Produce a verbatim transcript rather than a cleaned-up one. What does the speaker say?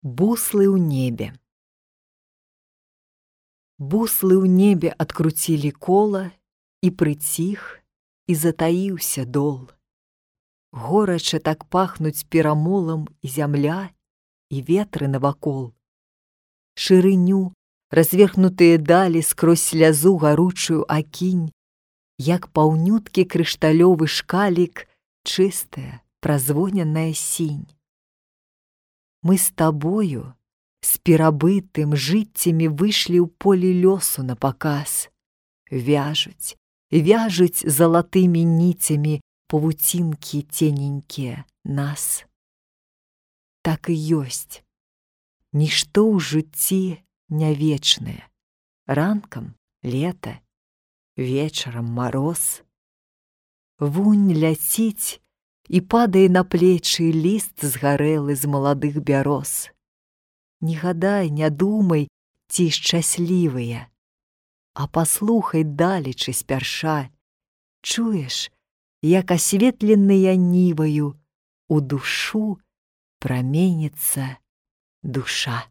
Буслы ў небе. Буслы ў небе адкруцілі кола, і прыціх, і затаіўся дол. Горача так пахнуць перамолам і зямля, і ветры навакол. Шырыню, разверхнутыя далі скрозь слязу гаручую акінь, як паўнюткі крышталёвы шкалік, чыстая, празвоненая сінь. Мы з табою, з перабытым жыццямі выйшлі ў поле лёсу на паказ. Вяжуць, вяжуць залатымі ніцямі павуцінкі цененькія нас. Так і ёсць. Нішто ў жыцці не вечнае. Ранкам лета, вечарам мароз. Вунь ляціць, і падае на плечы ліст згарэлы з маладых бяроз. Не гадай, не думай, ці шчаслівыя, а паслухай далечы спярша. Чуеш, як асветленыя ніваю у душу праменіцца душа.